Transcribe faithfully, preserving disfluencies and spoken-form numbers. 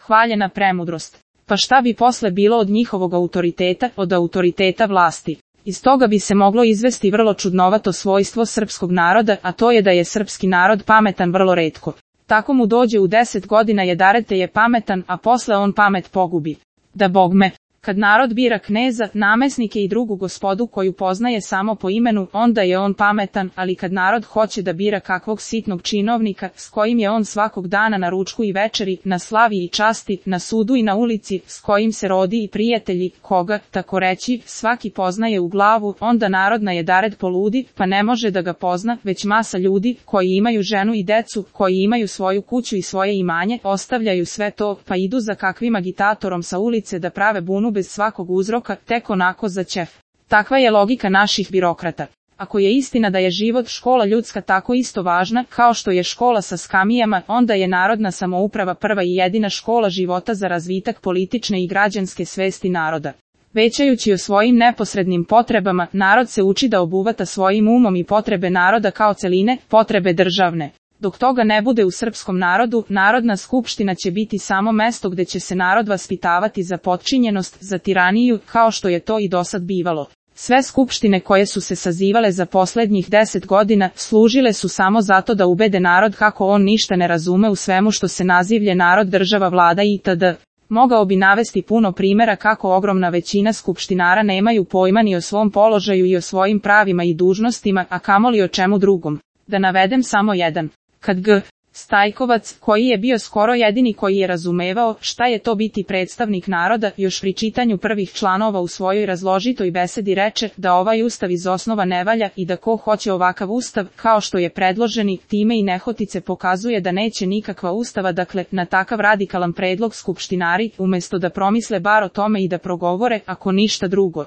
hvaljena premudrost. Pa šta bi posle bilo od njihovog autoriteta, od autoriteta vlasti? Iz toga bi se moglo izvesti vrlo čudnovato svojstvo srpskog naroda, a to je da je srpski narod pametan vrlo retko. Tako mu dođe u deset godina jedarete je pametan, a posle on pamet pogubi. Da bogme, kad narod bira kneza, namesnike i drugu gospodu koju poznaje samo po imenu, onda je on pametan, ali kad narod hoće da bira kakvog sitnog činovnika, s kojim je on svakog dana na ručku i večeri, na slavi i časti, na sudu i na ulici, s kojim se rodi i prijatelji, koga, tako reći, svaki poznaje u glavu, onda narod na jedared poludi, pa ne može da ga pozna, već masa ljudi, koji imaju ženu i decu, koji imaju svoju kuću i svoje imanje, ostavljaju sve to, pa idu za kakvim agitatorom sa ulice da prave bunu bez svakog uzroka, tek onako za ćef. Takva je logika naših birokrata. Ako je istina da je život škola ljudska tako isto važna, kao što je škola sa skamijama, onda je narodna samouprava prva i jedina škola života za razvitak politične i građanske svesti naroda. Većajući o svojim neposrednim potrebama, narod se uči da obuvata svojim umom i potrebe naroda kao celine, potrebe državne. Dok toga ne bude u srpskom narodu, Narodna skupština će biti samo mesto gde će se narod vaspitavati za potčinjenost, za tiraniju, kao što je to i dosad bivalo. Sve skupštine koje su se sazivale za poslednjih deset godina, služile su samo zato da ubede narod kako on ništa ne razume u svemu što se nazivlje narod, država, vlada itd. Mogao bi navesti puno primjera kako ogromna većina skupštinara nemaju pojma ni o svom položaju i o svojim pravima i dužnostima, a kamoli o čemu drugom. Da navedem samo jedan. Kad G. Stajkovac, koji je bio skoro jedini koji je razumevao šta je to biti predstavnik naroda, još pri čitanju prvih članova u svojoj razložitoj besedi reče da ovaj ustav iz osnova ne valja i da ko hoće ovakav ustav, kao što je predloženi, time i nehotice pokazuje da neće nikakva ustava, dakle, na takav radikalan predlog skupštinari, umesto da promisle bar o tome i da progovore, ako ništa drugo,